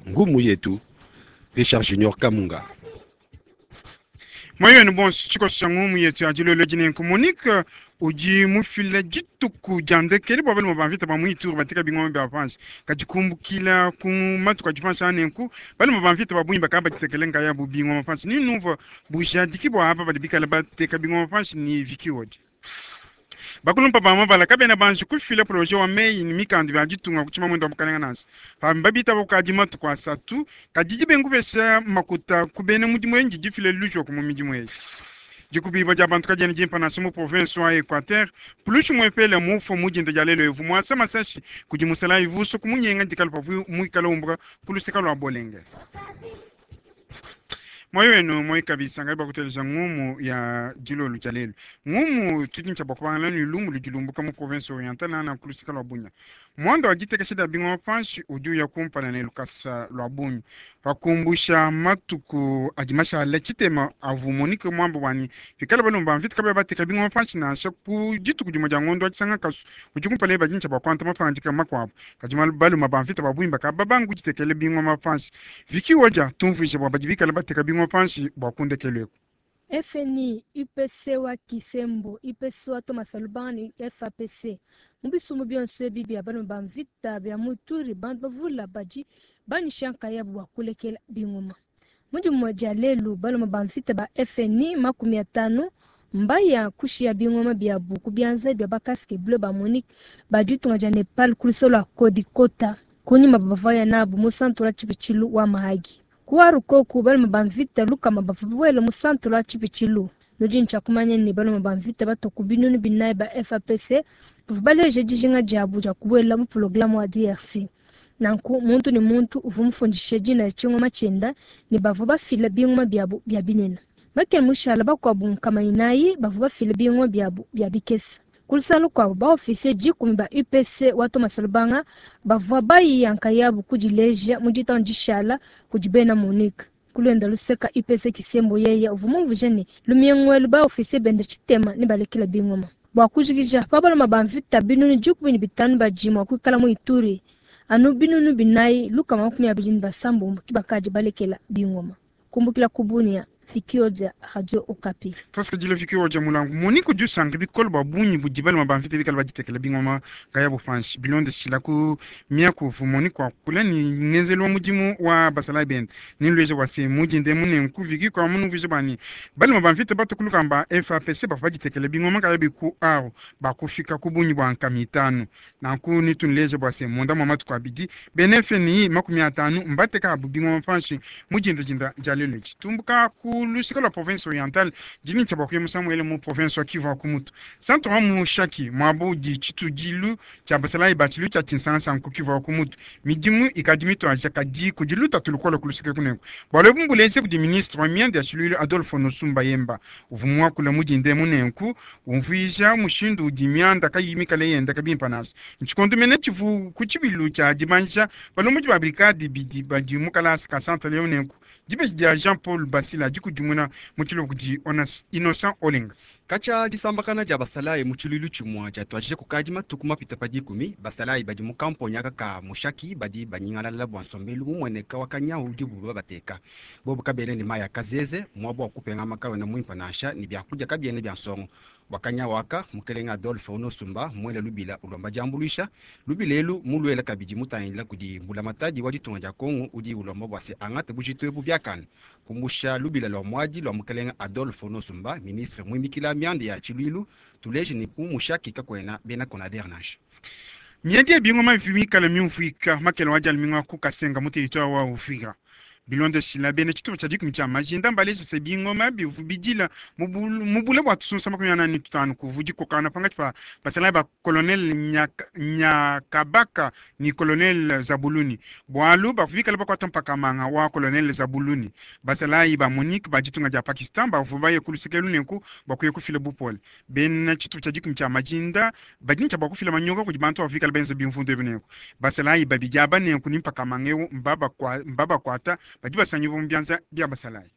Ngumu yetu Richard Junior Kamunga. Moyo wenu bonso, tshikoso tshia ngumu yetu ya dilolo edi nenku Monique udi mufile dituku dia ndekelu bua balume ba mvita ba mu Ituri bateka bingoma bia panshi. Kadi kumbukila ku matuku adi panshi aa nenku balume ba mvita ba bungi bakadi baditekele nkayabu bingoma panshi. Ni numvua bujadiki bua aba badi bikale bateka bingoma panshi ni Vicky Wodi. Bakulumpa ba mabala kabena banji kufila projet wa meyi ne mikandu bia ditunga ku tshimamuende wa bukalenga nansha. Pabi mbabitaba kukadi matuku asatu, kadi dibenga kupesha makuta ku bena mudimu eyi ndidifile lujoko mu midimu eyi. Dikubibua dia bantu kadiena dimpa nansha mu province wa Equateur. Pulushi muepele mufua mu dinda dia lelu evu muasa masashi kudi musalayi vuso kumunyenga dikalu pavua muikala umbuka ku luseka lua Bolenge. Moyo wenu moyi kabisa ngai bakuteleja ngumu ya dilolu dia lelu. Ngumu tudi ntshia bua kubangala ne lumu ludi lumbuka mu province orientale nana ku luseka lua Bunia. Muanda wa ditekesha dia bingoma panshi udi uya kumpala ne lukasa lua bungi. Pakumbusha matuku adi mashale tshitema avua Monique muambe bua ne pikala balume ba mvita kabayi bateka bingoma panshi nansha ku dituku dimue dia ngondo wa Tshisanga kasu udi kumpala badi ntshia bua kuangata mapangadika makuabu. Kadi balume ba mvita ba bungi bakaba babanga kuditekela bingoma panshi. Vicky Odia tumvuije bua badi bikale bateka bingoma panshi bua ku ndekelu eku. FNI, UPC wa Kisembo, UPC wa Thomas Lubanga ne FAPC. Mu bisumbu bionso ebi bia balume ba mvita bia mu Ituri, bantu bavula badi banyisha nkayabu bua kulekela bingoma. Mu dimue dia lelu, balume ba mvita ba FNI 50 mbaya kushiya bingoma biabu ku bianza bia ba casque bleu ba MONUC ba ditunga dia Nepal ku luseke lua Kodikota kunyima bavua nabu mu santre wa tshipitshilu wa Mahagi. Ku Arukoku, balume ba mvita 100 bavua babuele mu santre wa tshipitshilu. Nudi ntshia kumanya ne balume ba mvita batua ku 4000 ba FAPC bavua baleje dijinga diabu dia kubuela mu programme wa DRC. Nanku muntu ne muntu uvua mufundishe dina dia tshingoma tshienda ne bavua bafila bingoma biabu bia binene. Bakele mushala bakuabu 400 bavua bafila bingoma biabu bia bikese. Ku luseke lukuabu, ba officier 10 ba UPC wa Thomas Lubanga bavua bayiya nkayabu kudileja mu ditanu dishala kudi bena MONUC. Kulwenda luseka UPC Kisembo yeye uvua mumvuije ne lumiengo ba officier bende tshitema ne balekela bingoma. Bua kujikija pa balume ba mvita 15000 badi mua kuikala mu Ituri, anu 4126 ke bakadi balekela bingoma. Kumbukila ku Bunia, Vicky Odia, Radio Okapi. Tuasakidila Vicky Odia mulangu. Monique udi usanka bikole bua bungi budi balume ba mvita bikale baditekela bingoma nkayabu panshi. Bilondeshila ku miaku uvua Monique wakula ne ngenzelu wa mudimu wa basalayi bende. Nenlueje bua se mu dinda emu nenku Vicky kua munumvuije bua ne balume ba mvita batu ku lukamba FAPC bavua baditekela bingoma nkayabu ku Aru bakufika ku bungi bua 50. Nanku netunleje bua se munda mua matuku abidi bena FNI 50 mbateka abu bingoma panshi mu dinda dinda dia lelu edi. Tumbuka ku luseke lua province orientale dini tshia bua kuya musangu ele mu province wa Kivu wa Kumutu. Centre wa Mushaki muabu udi tshitudilu tshia basalayi ba tshilu tshia Tshinsangasangu ku Kivu wa Kumutu. Midimu ikadi mituadija kadi kudi lutatu lukole ku luseke kunenku. Bualu ebu mbuleja kudi ministre wa mianda ya tshiluilu Adolphe Nosumba Yemba uvua muakula mu dinda emu nenku umvuija mushindu udi mianda kayiyi mikale yenda kabimpa nansha. Ntshikondo mene tshivu ku tshibilu tshia dibanjisha balombodi ba brigade bidi badi mu kalasa ka Centre Leo nenku dibeji dia Jean-Paul Basila dikudimuna mu tshiluba kudi Innocent Olenga. Katshia disambakana dia basalayi mu tshiluilu tshimue diatuadije kukadi matuku mapite pa 10, basalayi badi mu kamponya aka ka Mushaki badi banyingalala bua nsombelu mumueneka wa kanyawu udibu babateka. Bobu kabena ne mayi a kazeze, muaba wa kupengama kawena muimpe nansha, ne biakudia kabiena bia nsongo. Bua kanyawu aka, mukelenge Adolphe Onosumba muele lubila ulomba diambuluisha. Lubila elu muluele kabidi mutangila kudi mbulamatadi wa ditunga dia Kongo udi ulomba bua se angate bujitu ebu biakane. Kumbusha lubila lua muadi lua mukelenge Adolphe Onosumba, ministre muimikila mianda ya tshiluilu, tuleje ne ku Mushaki kakuena bena Conader nansha. Miadi ya bingoma mikale miumvuika makele wa dialumingu ku Kasenga mu territoire wa Uvira. Bilondeshila bena tshitupa tshia 10 tshia majinda mbaleje se bingoma bivu bidila mu bule bua tusunsa 45 kuvu dikokana pangatshi pa basalayi ba colonel Nyakabaka ne colonel Zabuluni. Bualu bavua bikale bakuata mpakamanga wa colonel Zabuluni. Basalayi ba MONUC ba ditunga dia Pakistan bavua baye ku luseke lunenku bua kuya kufila bupole. Bena tshitupa tshia 10 tshia majinda badi ntshia bua kufila manyoka kudi bantu bavua bikale benza bimvundu ebi nenku. Basalayi babidi aba nenku ne mpakamanga eu mbabakuata badi basangibua mu bianza bia basalayi.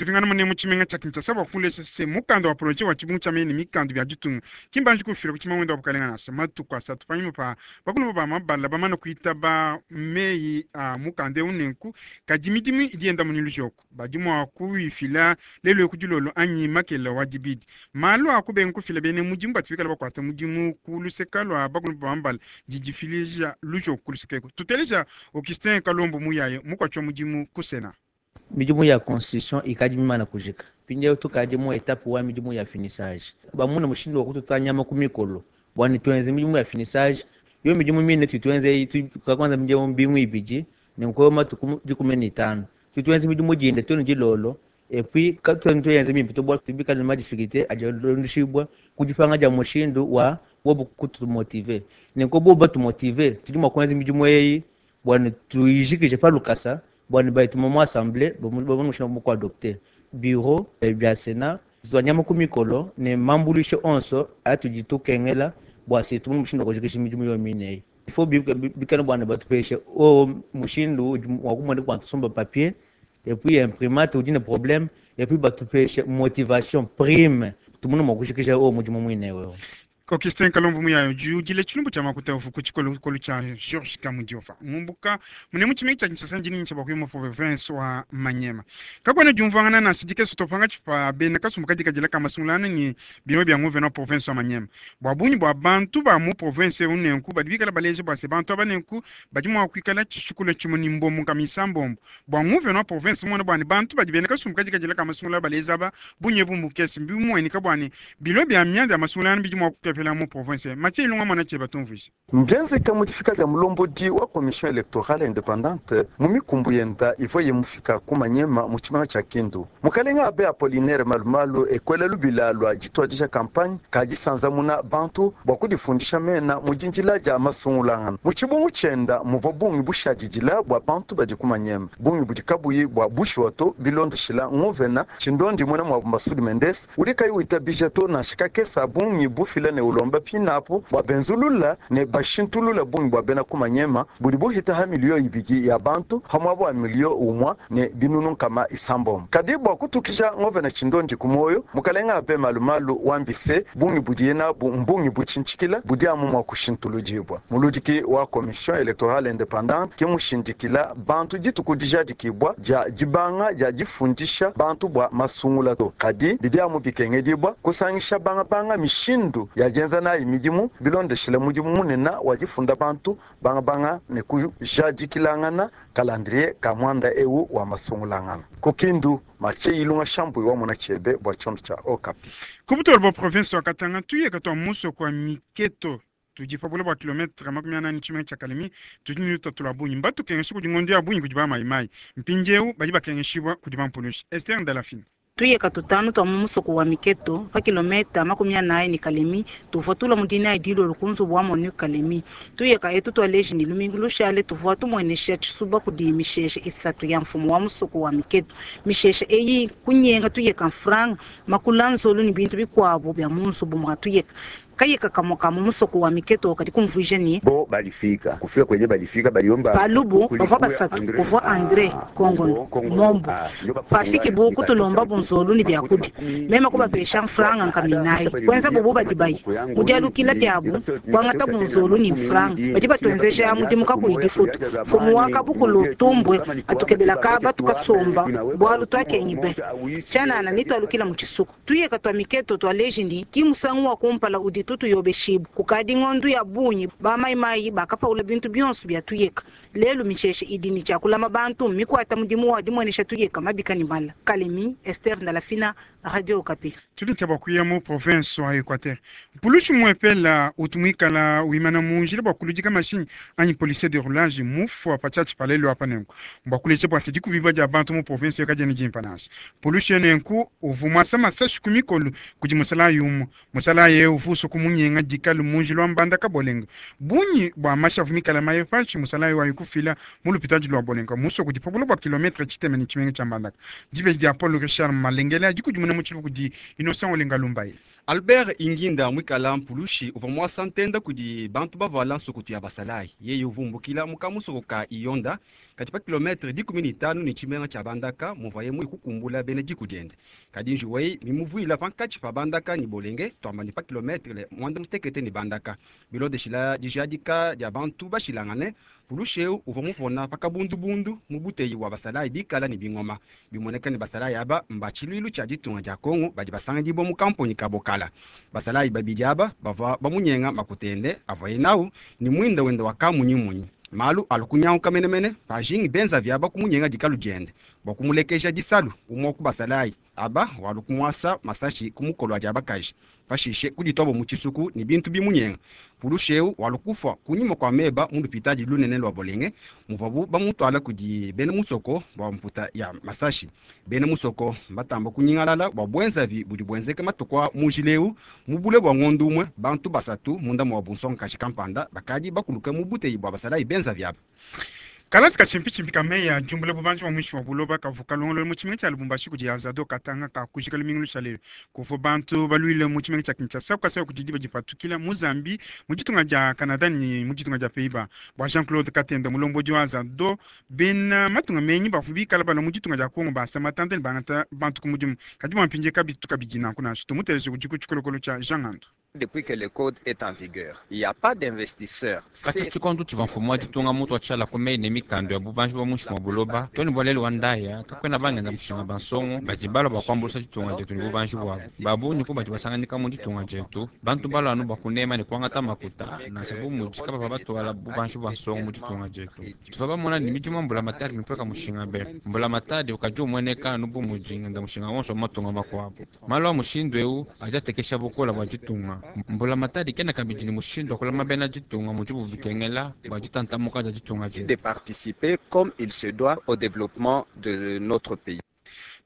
Tupingana mune mu tshimenga tshia Kinshasa bua kulesha se mukanda wa projet wa tshibungu tshia meyi ne mikandu bia ditunga ki mbanji kufila ku tshimamwenda wa bukalenga nansha matuku asatu panyima pa bakulu ba mabala bamana kuitaba meyi a mukanda eu. Nenku kadi midimu idi yenda mu lujoko, badi mua kuyifila lelu ku dilolo anyi makela wa dibidi. Malu a kubenga kufila bena mudimu batu bikala bakuata mudimu ku luseka lua bakulu ba mabala didifilija lujoko ku luseka eku. Tuteleja Augustin Kalombo Muyaye, mukuatshi wa mudimu ku Sénat. Midimu ya constitution ikadi mimana kujika, mpindieu tukadi mu etape wa midimu ya finissage. Bamuna mushindu wa kututa nyama ku mikolo bua ne tuenze midimu ya finissage. Yo midimu mine tutuenze tukakwanza midimu mbingu ibidi ne nko matuku 15 tutuenze midimu dinde tunu dilolo, et puis katuenze tuyenze mimpe to bua tubikale ma difficulté adi alondeshibwa kudipanga dia mushindu wa bobu kutumotive. Ne nko bobu batumotive, tudi mua kuenza midimu eyi bua ne tuyijikije pa lukasa bua ne bayituma mu assemblée bamone mushindu wa kuadopter. Bureau bia Sénat tuanyama ku mikolo ne mambulisho onso atudi tukengela bua se tumone mushindu wa kujikisha midimu yo mine eyi. Il faut bikale bua ne batupeshe o mushindu wa kumona kwa tusomba papier et puis imprimante udi ne problème, et puis batupeshe motivation prime tumone mua kujikisha o mudimu muine wewe. Augustin Kalombo Muyayo judile tshilumbu tshia makuta ufu tshikolokolo tshia Georges Kamudiofa ngumbuka mune mu tshimenga tshia Kinshasa ndini tsha bakuyi mu province wa Manyema. Kakuena diumvuangana nansha dikeso topanga tshipa bena kasumbu kadikadila ka masungulana ni bimwe bia nguvena wa province wa Manyema bua bungi bua bantu ba mu province eu. Nenku badi bikala baleja bua se bantu aba nenku badi mua kuikala tshishikula tshimue ni mbombo nkamisa mbombo bua nguvena wa province muana bua ne bantu badi bena kasumbu kadikadila ka masungulana baleja aba bungi ebu mbukese mbimuenika bua ne bilo bia mianda ya masungulana bidi mua kukepela mu province. Matie Ilunga mwana cheba tumvuisha. Mbienzeka mudifika dia mulombodi wa commission électorale indépendante mu mikumbu yenda ivua yemufika ku Manyema mu tshimanga tshia Kindu. Mukalenga abe Apollinaire Malumalu ekwela lubila lua dituadija campagne kadisanzamuna bantu bua kudifundisha mena mu dinjila dia masungulangana. Mu tshibungu tshienda muvua bungi bushadidila bua bantu badi ku Manyema, bungi budi kabuyi bua bushuwa to bilondeshila nguvena Tshindondi muena mua Masudi Mendes udi kayi witabija to nansha kakesa bungi bufila ne ulomba pinapo bua benzulula ne bashintulula bungi bua bena ku Manyema budi buhita ha 2 miliyo ya bantu ha muaba wa 1 miliyo ne binunu 900. Kadi bua kutukisha ngovena Tshindondi ku moyo, mukalenga abe Malumalu wambise bungi budiye nabu mbungi butshintshikila budi amu mua kushintuludibwa. Muludiki wa commission électorale indépendante ke mushindikila bantu dituku dijadikibwa dia dibanga dia difundisha bantu bua masungula to, kadi bidi amu bikengedibwa kusangisha bangabanga mishindu ya dienza nayi midimu bilondeshela mudimu munene wa difunda bantu bangabanga ne kujadikilangana calendrier ka mwanda eu wa masungulangana. Ku Kindu, Matie Ilunga Shambui wa mona chebe bua tshiondo tshia Okapi. Kubutolo bua province wa Katanga tuyeka twa musoko wa Miketo tudi pa bule bua kilometre 40 tshimenga tshia Kalemi tudi ne lutatu lua bungi. Mbatukengesha kudi ngondo ya bungi kudi bamayimayi, mpindieu badi bakengeshibua kudi bampulushi. Esther Ndalafine. Tuyeka tutanu twa mu musoko wa Miketo pa kilometa 40 ne Kalemi tuvua tula mu dinayi dilolo ku nzubu wa MONUC Kalemi. Tuyeka etu twaleji ni lumingu lushale tuvua tumuenesha tshisuba kudi misheshe isatu ya mfumu wa musoko wa Miketo. Misheshe eyi kunyenga tuyeka mfranga, makula, nzolu ni bintu bikuabu bya mu nzubu mwa tuyeka. Kayeka kamwe ka mu musoko wa Miketo kadi kumvuija ni bo balifika kufika kwenye balifika baliomba Palubu bavua basatu, kuvua Andre Kongono Mombo. Pafiki bu kutulomba bunzolu ni byakudi, mema kubapesha mfranga nkaminayi kwenza bobo badi bayi mudialukila diabu kwangata bunzolu ni mfranga badi batwenzesha mudimu kakuyi difutu. Mfumu wa kabukulu tumbwe atukebela kaba tukasomba bwalu twakenyi be tshanana nitwalukila mu tshisuku. Tuyeka twa Miketo twaleji ni kimusangu wa kumpala udi tutuyobeshibu kukadi ng'ondu ya bungi bamaimayi bakapaula bintu bionso bya tuyeka. Lelu misheshe idi ni tshiakulama bantu mikwata mudimu wa dimwenesha tuyeka mabika ni mala. Kalemi, Esther Ndalafina, Radio Okapi. Tudi tshia bakuya mu province wa Equateur. Mpulushi muepela utumwikala wimana munjila bua kuludika mashinyi anyi policier de roulage mufua pa tshiatshi palelo apa. Nenku bua kuleja bua se dikubiba dia bantu mu province yo kadiena dimpa nansha. Pulushi nenku uvu muasa masashi ku mikolo kudi musalayi umue. Musalayi eu uvu uso kumunyenga dikalu munjila wa Mbandaka Bolenga. Bungi bua mashavu mikala maye panshi, musalayi wayi kufila mu lupitadi lua Bolenga muso kudi pa bule bua kilometre tshitema ne tshimenga tshia Mbandaka. Dibeji dia Paul Richard Malengele adi kudimuna mu tshiluba kudi Innocent Olenga Lumbaye. Albert Inginda mwikala mpulushi uvua muasa ntenda kudi bantu bavuala nsukutu ya basalayi. Yeye uvumbukila mu kamusoko ka Iyonda kadi pa kilometre 15 ne tshimenga tshia Bandaka muvuaye muye kukumbula bena diku diende. Kadi njiwu eyi mimuvuila pankatshi pa Bandaka ne Bolenge, tuamba ne pa kilometre 16 ne Bandaka. Bilondeshila dijadika dia bantu bashilangane, mpulushi eu uvua mupona pa kabundubundu mu buteyi bua basalayi bikala ne bingoma. Bimueneka ne basalayi aba mba tshiluilu tshia ditunga dia Kongo badi basanganyibua mu kamponyi ka Bokala. Basalayi babidi aba bavua bamunyenga makuta ende avuaye nawu ne muinda wende wa kamunyimunyi. Malu alu kunyanguka menemene pajingi benzavi aba kumunyenga dikalu diende bua kumulekeja disalu. Umue wa ku basalayi aba walu kumuasa masashi ku mukolo wa dia bakaji, pashishe kudituabo mu tshisuku ne bintu bimunyenga. Mpulushi eu walu kufua kunyima kua meba mu lupitadi lunene lua Bolenge muvuabu bamutuala kudi bena musoko bua mputa ya masashi. Bena musoko mbatamba kunyingalala bua buenzavi budi buenzeka matuku a mu njila eu. Mu bule bua ngondo umue, bantu basatu munda mua bunsongakaji kampanda bakadi bakuluka mu buteyi bua basalayi benzavi aba. Kalasa ka tshimpitshimpi ka meyi a diumbula bubanji bua muinshi mua buloba kavua kalongolola mu tshimenga tshia Lubumbashi kudi Azado Katanga kakujika lumingu lushalelu. Kuvua bantu baluile mu tshimenga tshia Kinshasa kukasaya kudi diba dipatukila mu Zambie, mu ditunga dia Canada ne mu ditunga dia Pays-Bas. Bua Jean-Claude Katenda, mulombodi wa Azado, bena matunga menyi bavua bikala balua mu ditunga dia Congo basa matanda ne bangata bantu ku mudimu. Kadi bua mpindieu kabitu kabidi nanku nansha. Tumuteleje udi ku tshikolokolo tshia Jean Ngandu. Depuis que le code est en vigueur, il y a pas d'investisseurs. Katshia tshikondo tshivua mfumu wa ditunga mutua tshiala ku meyi ne mikandu ya bubanji bua muinshi mua buloba too ne bua lelu wa ndaya, kakuena bangenda mushinga ba nsongo badi balua bua kuambuluisha ditunga dietu ne bubanji buabu. Ba bungi ku badi basanganyika mu ditunga dietu, bantu balua anu bua kunema ne kuangata makuta, nansha bu mudi kabavua batuala bubanji bua nsongo mu ditunga dietu. Tuvua bamona ne midimu ya mbulamatadi mipueka mushinga be. Mbulamatadi ukadi umueneka anu bu mudi ngenda mushinga wonso wa matunga makuabu. Malu a mushindu eu adi atekesha bukole bua ditunga. Mbulamatadi kena kabidi ne mushindu wa kulama bena ditunga mudibu bikengela bua ditantamuka dia ditunga dietu. De participer comme il se doit au développement de notre pays.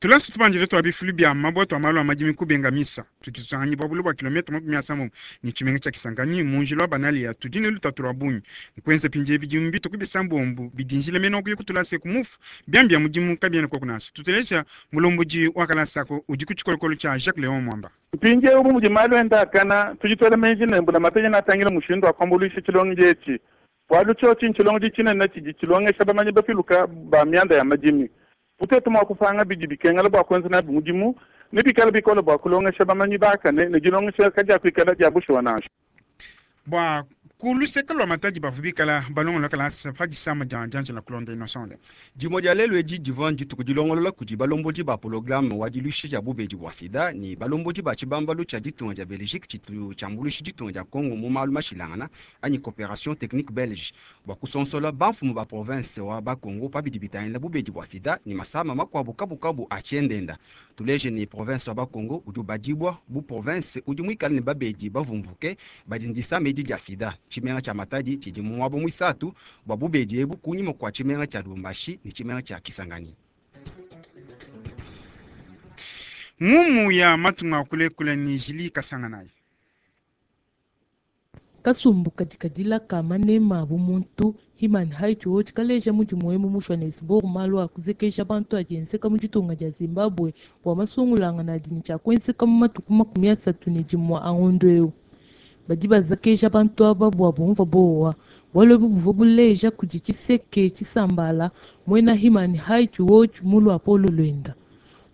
Tulasa tubandile tua bifulu bia mabue tua malu a madimi kubenga misa tudi tusanganyibua bule bua kilometre 30 ne tshimenga tshia Kisangani mu njila wa Banalia. Tudi ne lutatu lua bungi nkuenza mpindieu bidimu bitue ku bisambombo bidi njila mene wa kuya ku tulasa eku mufu. Biamu bia mudimu kabiena koku nansha. Tuteleja mulombodi wa kalasa ako udi ku tshikolokolo tshia Jacques Leon Mwamba. Mpindieu bu mudi malu enda akana, tudi tuela meji ne, mbulamatadi neatangile mushindu wa kuambuluisha tshilongedi etshi, bualu tshiotshi ntshilongedi tshinene tshidi tshilongesha bamanyi bapiluke ba mianda ya madimi. Bu tuetu mua kupanga bidi bikengela bua kuenza nabi mudimu, nebikale bikole bua kulongesha bamanyi bakane, ne dilongesha kadiakuikala dia bushuwa nansha. Bua ku luseke lua Matadi bavua bikala balongolola kalasa pa disama dia dianjila kulonda Innocent. Dimue dia lelu edi divua ndituku dilongolola kudi balombodi ba pologalame wa diluisha dia bubedi bua sida ne balombodi ba tshibambalu tshia ditunga dia Belgique tshitu tshiambuluisha ditunga dia Congo mu malu mashilangana anyi Cooperation Technique Belge bua kusonsola bamfumu ba province wa Bas-Congo pa bidi bitangila bubedi bua sida ne masama makuabu kabukabu a tshiendenda. Tuleje ne, province wa Bas-Congo udi ubadibua bu province udi muikale ne babedi bavumvuke badi ne disama edi dia sida. Tshimenga tshia Matadi tshidi mu muaba muisatu bua bubedi ebu kunyima kua tshimenga tshia Lubumbashi ne tshimenga tshia Kisangani. Ngumu ya matunga a kulekule ne Julie Kasanganayi. Kasumbu kadi kadila ka manema a bumuntu, Human Rights Watch, kaleja mudimu emu mu Johannesburg malu a kuzekeja bantu adi enzeka mu ditunga dia Zimbabwe bua masungulangana adi ne tshia kuenzeka mu matuku 31 a ngondo eu. Badi bazakeja bantu aba bua bumvua bowa. Bualu ebu buvua buleja kudi Tshiseke Tshisambala, muena Human Rights Watch mu luapolo luenda.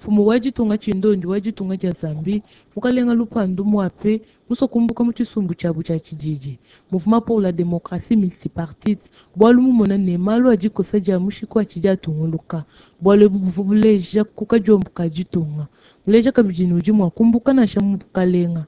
Mfumu wa ditunga tshindondi wa ditunga dia Zambie, Mukalenga Lupandu Mwape, musua kumbuka mu tshisumbu tshiabu tshia tshididi, Mouvement pour la democratie multipartite, bualu mumona ne, malu a dikosa dia mushiku atshidi atunguluka. Bualu ebu buvua buleja ku kadiombo ka ditunga. Buleja kabidi ne udi mua kumbuka nansha mu bukalenga.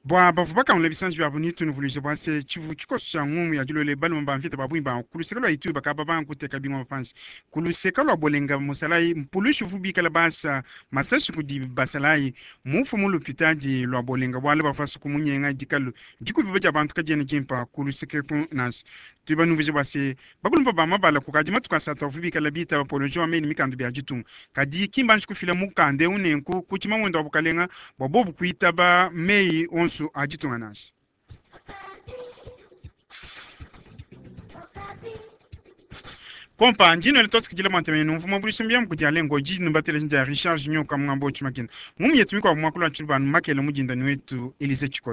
Bua bavua bakangula bisanji biabu ne tunuvuluija bua se, tshivua tshikoso tshia ngumu ya dilolo balume ba mvita ba bungi ba ku luseke lua Ituri bakaba banga kuteka bingoma panshi. Ku luseke lua Bolenga, musalayi mpulushi uvua bikala basa masashi kudi basalayi mufue mu lupitadi lua Bolenga bualu bavua basue kumunyenga dikalu. Dikubiba dia bantu kadiena dimpa ku luseke eku nansha. Tudi banumvuije bua se, Bakulumpa ba mabala kukadi matuku asatu avua bikala bitaba poloje wa meyi ne mikandu bia ditunga. Kadi ki mbanji kufila mukanda eu nenku ku tshimamuende wa bukalenga bua bobu kuitaba meyi onsu a ditunga nansha. Kompa njino le tosikidila mwantemene numvuma bulisha mbia mukudi alengo jiji numbatele nja Richard Junior kamngambo chimakina. Mumu yetu mikwa mwakula chilubanu makele mujinda ni wetu Elise Chikota.